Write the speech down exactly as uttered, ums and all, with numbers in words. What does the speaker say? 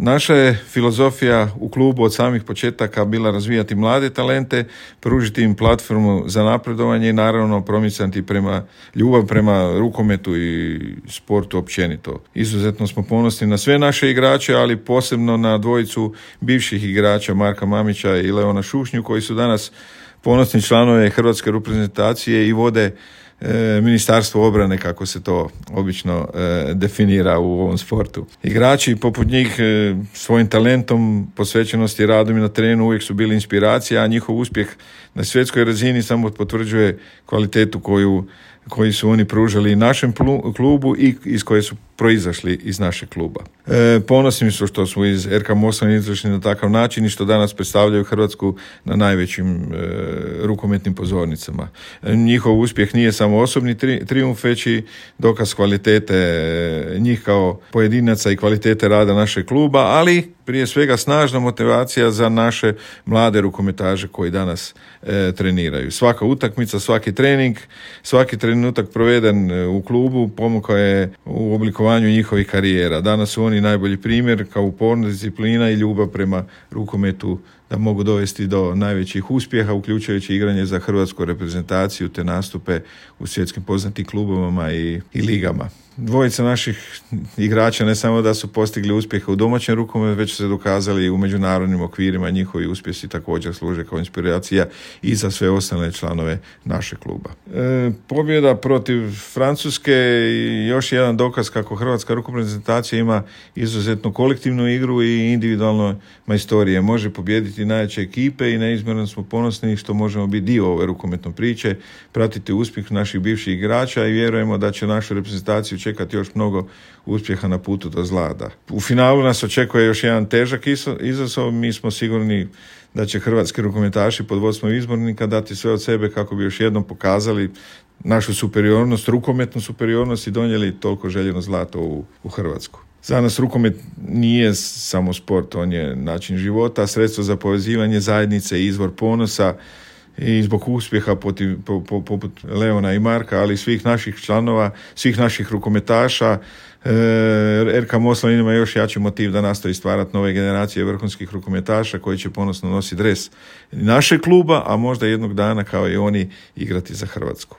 Naša je filozofija u klubu od samih početaka bila razvijati mlade talente, pružiti im platformu za napredovanje i naravno promicati prema ljubav prema rukometu i sportu općenito. Izuzetno smo ponosni na sve naše igrače, ali posebno na dvojicu bivših igrača Marka Mamića i Leona Šušnju koji su danas ponosni članove hrvatske reprezentacije i vode e, Ministarstvo obrane, kako se to obično e, definira u ovom sportu. Igrači poput njih e, svojim talentom, posvećenosti, radom i na terenu uvijek su bili inspiracija, a njihov uspjeh na svjetskoj razini samo potvrđuje kvalitetu koju koji su oni pružali našem klubu i iz koje su proizašli iz našeg kluba. E, ponosni su što smo iz er ka Moslavine izašli na takav način i što danas predstavljaju Hrvatsku na najvećim e, rukometnim pozornicama. E, njihov uspjeh nije samo osobni tri, trijumf, već i dokaz kvalitete e, njih kao pojedinaca i kvalitete rada našeg kluba, ali prije svega snažna motivacija za naše mlade rukometaže koji danas e, treniraju. Svaka utakmica, svaki trening, svaki trenutak proveden u klubu pomogao je u oblikovanju njihovih karijera. Danas su oni najbolji primjer kao uporna disciplina i ljubav prema rukometu da mogu dovesti do najvećih uspjeha, uključujući igranje za hrvatsku reprezentaciju te nastupe u svjetskim poznatim klubovima i, i ligama. Dvojica naših igrača ne samo da su postigli uspjehe u domaćem rukometu, već su se dokazali u međunarodnim okvirima. Njihovi uspjesi također služe kao inspiracija i za sve ostale članove našeg kluba. E, pobjeda protiv Francuske je još jedan dokaz kako hrvatska rukometna reprezentacija ima izuzetnu kolektivnu igru i individualno majstorije. Može pobijediti najjače ekipe i neizmjerno smo ponosni što možemo biti dio ove rukometne priče, pratiti uspjeh naših bivših igrača i vjerujemo da će našu reprezentaciju čekati još mnogo uspjeha na putu do zlata. U finalu nas očekuje još jedan težak izazov. Mi smo sigurni da će hrvatski rukometaši pod vodstvom izbornika dati sve od sebe kako bi još jednom pokazali našu superiornost, rukometnu superiornost i donijeli toliko željeno zlato u, u Hrvatsku. Za nas rukomet nije samo sport, on je način života, sredstvo za povezivanje zajednice i izvor ponosa i zbog uspjeha poput, poput Leona i Marka, ali svih naših članova, svih naših rukometaša, er ka Moslavina ima još jači motiv da nastavi stvarati nove generacije vrhunskih rukometaša koji će ponosno nositi dres našeg kluba, a možda jednog dana kao i oni igrati za Hrvatsku.